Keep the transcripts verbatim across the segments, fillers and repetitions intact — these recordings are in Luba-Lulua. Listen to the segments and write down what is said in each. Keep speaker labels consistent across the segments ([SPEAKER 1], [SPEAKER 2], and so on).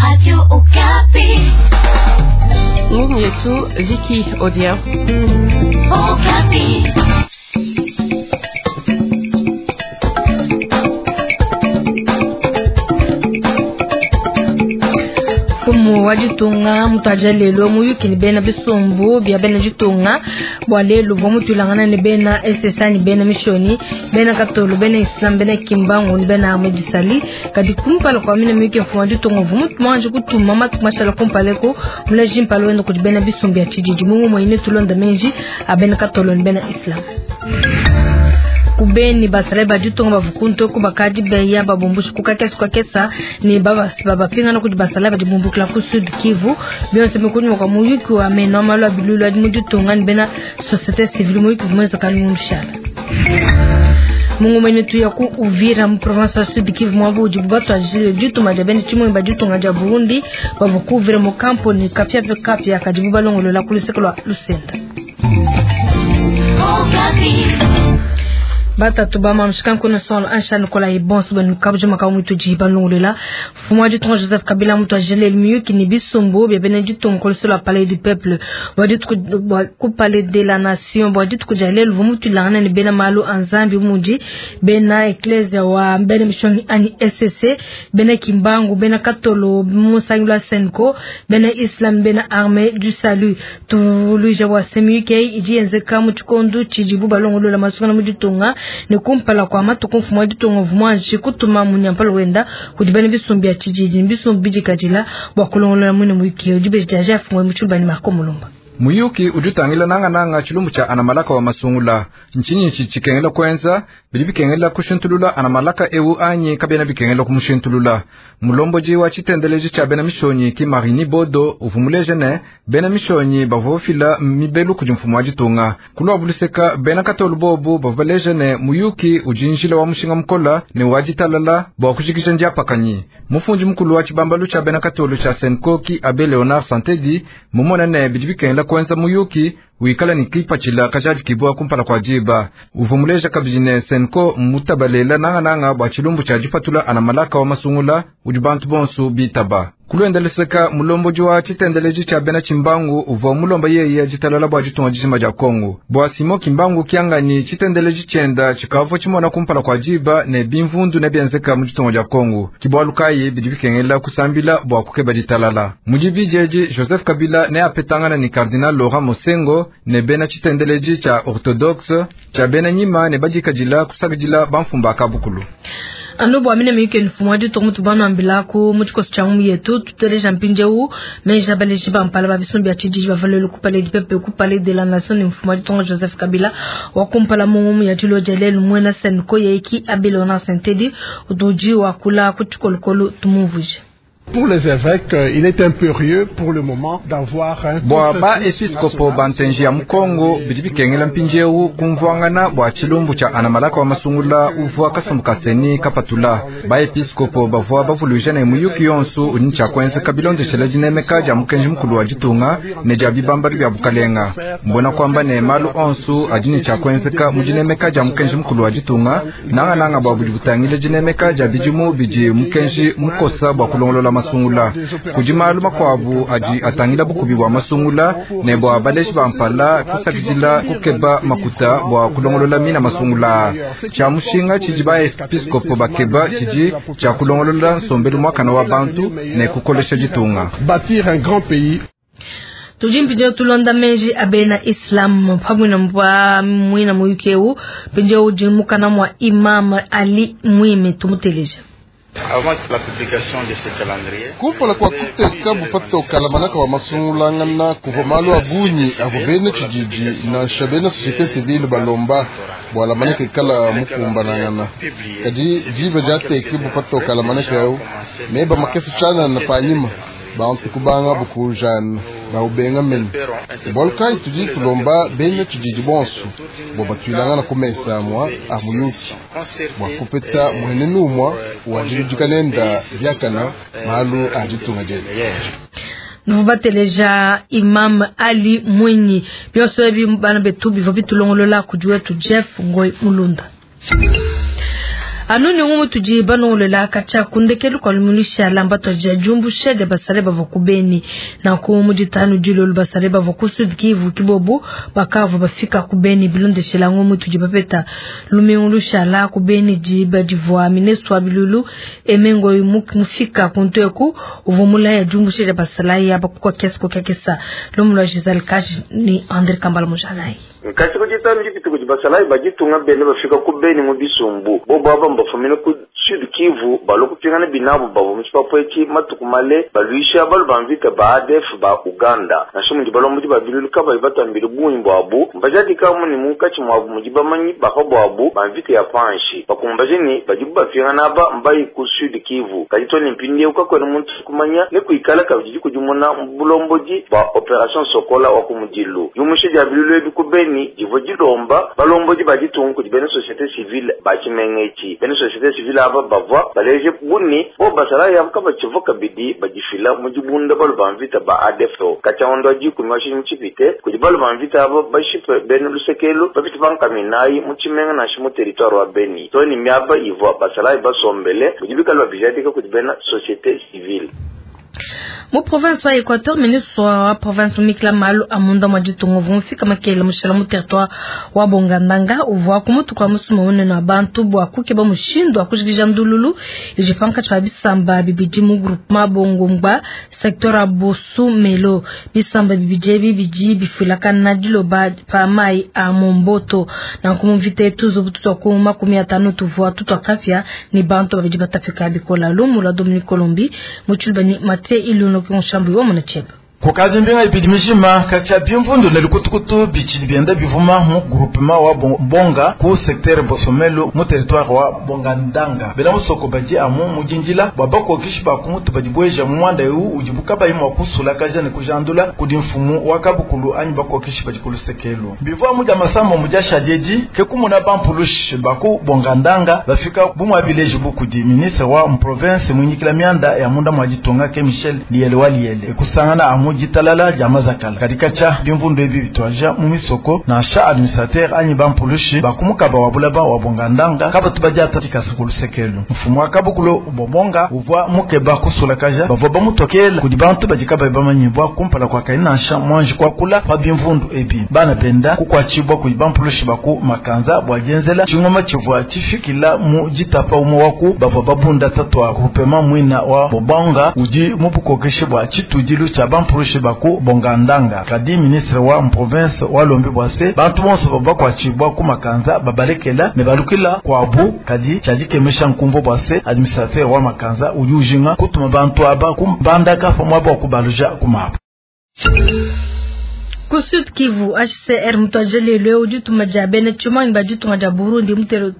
[SPEAKER 1] Radio Okapi.
[SPEAKER 2] Ngumu yetu Vicky Odia.
[SPEAKER 1] Okapi.
[SPEAKER 3] Mfumu wa ditunga mutaja lelo muyuki ni bena bisumbu bya bena ditunga bwa lelo bwa mutulangana ni bena S S A ni bena mishoni bena katolo bena islam bena kimbangu ni bena amudisali kadi kumpala kwa mina muyuki mfumu wa ditunga vumu mwanje kutuma matu mashala kumpaleko mulaji mpalo wendo kudi bena bisumbu ya chijiji mungu mwine tulonda menji abena katolo ni bena islam kubeni basale baditonga bavukunto ko bakadi beya babombushi kukakesa kukakesa ni baba baba pinga no kudi basale badibumbukila ku Sud Kivu byonse mikuni kwa muyuki wa meno malwa bilulu adi muditonga ni bena société civile muyuki vumeza kalundishala Mungu mwene tu ya ku Uvira mu province ya Sud Kivu mwabu ujibu batu ajile ditu majabeni chimwe baditonga ja Burundi bavuku Uvira mu kampo ni kapya pe kapya kajibu balongolo la kulisekelo Lusenda. Batatu ba mamshkan kuna sol ansha Nicolas Ibon suba nukabje makamu mutu jiba longolela fuma du tron Joseph Kabila mutu ajele mieux qui ni bisombo bien ben du ton kol sur la palais du peuple bo dit ku palais de la nation bo dit ku jalel vu mutu lana ni bena malu anzambi muji bena ecclesia wa bena mission ani S C bena kimbangu bena katolo musangula senko bena islam bena armée du salut tuluja wa semuke iji enzeka mutukondu chijibu balongolola masukana muditonga ne kumpala kwa matuku mfumu wa ditunga vumwanji kutuma munyampalo wenda kudi bene bisumbi ya chijiji bisumbi bijikajila bwa kulongolola mwine mwiki ujibe jaja afungwe muchulubani Marco Mulumba.
[SPEAKER 4] Muyuki ujutangila nanga nanga chilumbu cha anamalaka wa masungula nchini chichikengela kwenza bili bikengela kushintulula anamalaka ewu anyi kabena bikengela kumushintulula mulomboji wa chitendeleji cha bena mishonyi ki Marini Bodo uvumuleje ne bena mishonyi bavofila mibelu kudi mfumu wa ditunga kulwa buluseka bena katolu bobu bavaleje ne muyuki ujinjila wa mushinga mukola ne wajitalala bwa kushikisha ndiapakanyi mufunji mukulu wa chibambalu cha bena katolu cha Senko ki Abe Leonard Santedi mumona ne bidi bikengela kwenza muyuki wikala ni kipachila kajaji kibwa kumpala kwa jiba uvumuleja kabijine Senko mutabalela nanga nanga bwa chilumbu cha jipatula anamalaka wa masungula udi bantu bonsu bitaba kulwendeleseka mulomboji wa chitendeleji cha bena chimbangu uvwa mulomba yeye jitalala bwa jitunga jishima ja Kongo bwa Simo Kimbangu kiangani chitendeleji chenda chikavo chimona kumpala kwa jiba ne bimvundu ne byenzeka mu jitunga ja Kongo kibwalukayi bidi bikengela kusambila bwa kukeba jitalala mujibi jeji Joseph Kabila ne apetangana ni Cardinal Laurent Mosengo ne bena chitendeleji cha orthodoxe cha bena nyima ne bajikajila kusakajila bamfumba kabukulu.
[SPEAKER 3] Anu bwa mine miyuke mfumu wa ditunga mutu banu ambilaku muchikoso cha ngumu yetu tuteleja mpinjeu meja baleji ba mpala ba bisumbi ya chijiji bavalelu ku palais du peuple ku palais de la nation ni mfumu wa ditunga Joseph Kabila wa kumpala mungumu ya tilo jalelu mwena Senko yeiki Abe Leonard Sentedi utuji wa kula kuchikolokolo tumuvuje.
[SPEAKER 5] Pour les évêques, il est impérieux pour le moment d'avoir un
[SPEAKER 4] bwa ba episkopo bantenji ya Mukongo bidi bikengela mpinjeu kumvwangana bwa chilumbu cha anamalaka wa masungula uvwa kasumbu kaseni kapatula ba episkopo bavwa bavuluja ne muyuki yonsu udi cha kwenza kabilondeshela jinemeka ja mukenji mukulu wa ditunga ne ja bibambalu bya bukalenga mbona kwamba ne malu onsu adini cha kwenzeka mujinemeka ja mukenji mukulu wa ditunga nanga nanga bwa budi butangile jinemeka ja bijimu bidi mukenji mukosa bwa kulongolola masungula kujimalu makwabu adi atangila bukubi bwa masungula ne bwa baleji bampala kusakidila kukeba makuta bwa kulongolola mina masungula cha mushinga chidi ba episkopo bakeba chidi cha kulongolola nsombelu mwakana wa bantu ne kukolesha ditunga
[SPEAKER 5] bâtir un grand pays.
[SPEAKER 3] Tujimpinje tulonda menji abena Islam pamwe na mbwa mwina muyukeu pinje ujimukana mwa Imam Ali Mwime tumuteleja.
[SPEAKER 6] Kumpala kwa kuteka bupatoka lamanaka wa masungulangana kuva malu abunyi abo bene chijiji na shabena société civile balomba bwa lamanaka ikala mukumbanangana kadi jiba jateke bupatoka lamanaka yau meba makesi chana na panyima bantu kubanga bukujana baubenga mene bolukai tudi tulomba bene chijiji bonso bo batwilangana kumesa mwa amuyuki bwa kupeta mwenenu mwa wajilujikanenda byakana malu ajitunga jetu.
[SPEAKER 3] Nuvateleja Imam Ali Mwinyi byonso ebi bana betu bivo bitulongolola kujuwetu Jeff Ngoi Mulunda. Anu ni ngumu tudi banongolela katshia kundekelu kwa lumulisha lamba twaja jumbusha dia basale bavua ku Beni na ku muditanu dilolo basale bavua ku Sud Kivu kibobu bakavu bafika ku Beni bilondeshela ngumu tudi bapeta lumingu lushala ku Beni diba divua ministre wa bilulu emengo mufika kunteku uvua mulaya jumbusha dia basale ya bakukwa kiasi kukakesa lumulwa Giselle Kash ni Andre Kambala Mujalai.
[SPEAKER 7] Nkati kujitanu jipiti kuti basalayi bajitunga bene bafika ku Beni mu bisumbu bobo aba mbafumine ku Sud Kivu balokupingana binabo bavo mu tshipapu etshi matuku male balwisha balu ba mvita ba A D F ba Uganda nansha mudi balombodi ba bilulu kabayi batambile bungi bwabu mbajadikamu ni munkatshi mwabu mudi bamanyi bapa bwabu ba mvita ya panshi bakumbaje ni badibu bapingana aba mbayi ku Sud Kivu kadi to ni mpindieu kakwena muntu kumanya ne kuikala kabidi kudimuna mu bulombodi bwa Operation Sokola wa kumudilu yumushe dia bilulu ebi ku Beni divo dilomba balombodi baditunga kudi bena société civile batshimenga etshi bena société civile aba bavua baleje buni bo basalayi abo kabatshivu kabidi badifila mu dibunda balu ba mvita ba A D F katshia dikumi wa tshidimu tshipite kudi balu ba mvita abo bashipe bena lusekelu bapite bankaminayi mu tshimenga nansha mu territoire wa Beni to ni miaba ivua basalayi basombele budi bikala babijadika kudi bena société civile.
[SPEAKER 3] Mu province wa Equateur, ministre wa province Mikla Malu amunda mwa ditunga vumfika makele mushala mu territoire wa Bongandanga uvua kumutu kwa musuma unene wa bantu bwa kukeba mushindu wa kujikija ndululu ijipanka cha bisamba bibidi mu groupement Bongongba secteur ya Bosumelo bisamba bibidi bibidi bifulakana diloba pa mai a Momboto na kumvite tuzo bututu ku makumi atano tuvua tutwa kafya ni bantu babidi batafika bikola lumu la Dominique Colombi muchulbani mate iluno konshambu wa munacheba
[SPEAKER 8] kukazi mbinga ipidi mishima kacha bimvundu ne lukutukutu bichili bienda bivuma mu groupement wa Bonga ku secteur Bosomelo mu territoire wa Bongandanga bela musoko baji amu mujinjila bwa bakokishi ba kumutu badibweja mu mwanda eu ujibuka bayi mwa kusula kaja ne kujandula kudi mfumu wa kabukulu anyi bakokishi bajikulu sekelu bivua muja masambo muja shajeji ke kumuna bampulushi baku Bongandanga bafika bumwa village bukudi ministre wa province munyikila mianda ya munda mwajitonga ke Michel Liele wa Liele kusangana amu jitalala jama zakala katika cha bimvundu ebi bitwaja mu misoko na sha administrateur anyi bampulushi bakumukaba wabulaba wabongandanga kaba tubaja tatika kulusekelu mfumu akabukulo bobonga uvwa mukeba kusula kaja bavwa bamutokela kudi bantu bajikaba bamanyibwa kumpala kwa kaina sha mwanji kwa kula pa bimvundu ebi bana benda kukwachibwa kudi bampulushi baku makanza bwajenzela chingoma chivwa chifikila mu jitapa umo waku bavwa babunda tatwa kupema mwina wa bobonga uji mupukokeshe bwa chitujilu cha bampulushi baku Bongandanga kadi ministre wa province wa Lombi bwase bantu bonso bakwachibwa ku makanza babalekela ne balukila kwabu kadi chajikemesha nkumvo bwase administrateur wa makanza ujujinga kutuma bantu aba kumbandaka famwa kubaluja kumapa.
[SPEAKER 3] Ku Sud Kivu H C R mutwajele leo dituma dia bena tshimanyi ba ditunga dia Burundi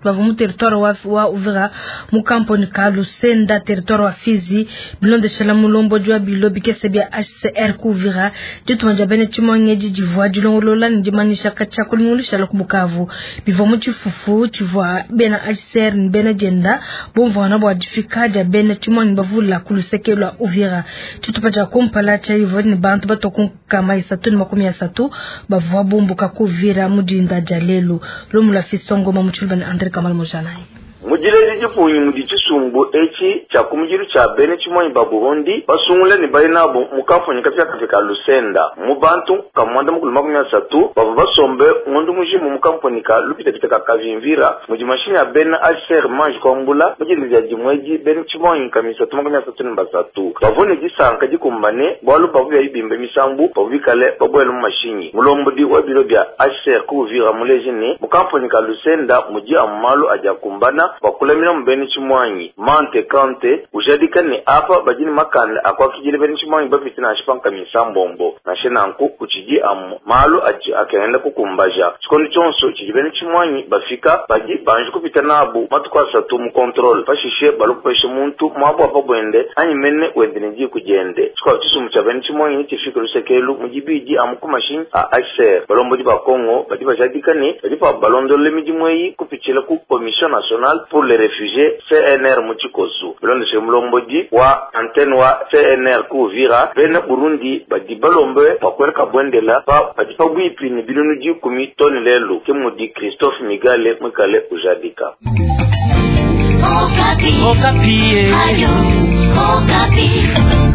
[SPEAKER 3] bavua mu territoire wa, wa Uvira mu kamponi ka Lusenda territoire wa Fizi bilondeshela mulombo jwa bilo bikese bia H C R ku Uvira dituma dia bena tshimanyi edi divua dilongolola ne dimanyisha katshia kulungulusha ku Bukavu bivua mu tshifufu tshivua bena H C R ne bena dienda bumvuana bua difika dia bena tshimanyi bavula ku luseke lua Uvira tshitupa dia kumpala tshia ivua ne bantu batoku kama isatu ne makumi satu bavua bumbuka kuvira mudinda dia lelu lumula fisongo mamuchulba ne Andre Kamal Mojanai.
[SPEAKER 7] Mujilezi jipunyi mudi chisumbu echi cha kumujiru cha bene chimonyi ba Burundi basungule ni bali nabo mukafunyi kapya kafika Lusenda mu bantu kamwanda mukulu makumi asatu bava basombe ngondu mujimu mukamponi ka lupita pita ka kavimvira mudi mashini ya bene H C R manji kwambula mujilezi ya jimweji bene chimonyi kamisatu makumi asatu ni basatu bavone jisanka jikumbane bwalu bavu bya ibimbe misambu bavu bikale babwele mu mashinyi mulombodi wa biro bya H C R kuvira muleji ni mukamponi ka Lusenda muji amalu aja kumbana bakulamina mubeni chimwanyi mante kante ujadika ni apa bajini makanda akwakijile beni chimwanyi bapiti na shipanka misambombo na shenanku kuchiji amu malu aji akaenda kukumbaja chikondi chonso chiji beni chimwanyi bafika baji banji kupita nabu matuku asatu mu control pashishe balukupeshe muntu mwabu apa bwende anyi mene wende niji kujende chikwa chisumu cha beni chimwanyi chifika lusekelu mujibiji amu kumashinyi a H C R balombodi ba Kongo badi bajadika ni badi pa balondole mijimweyi kupichila ku Commission Nationale pour les réfugiés C N R muchikosu bilondeshe mulombodi wa antenne wa C N R kuvira bene Burundi badi balombe bakweleka bwendela pa badi pabwipi ni binunu dikumi toni lelu ke mudi Christophe Migale mwikale ujadika.
[SPEAKER 1] Okapi. Okapi. Ayo, Okapi.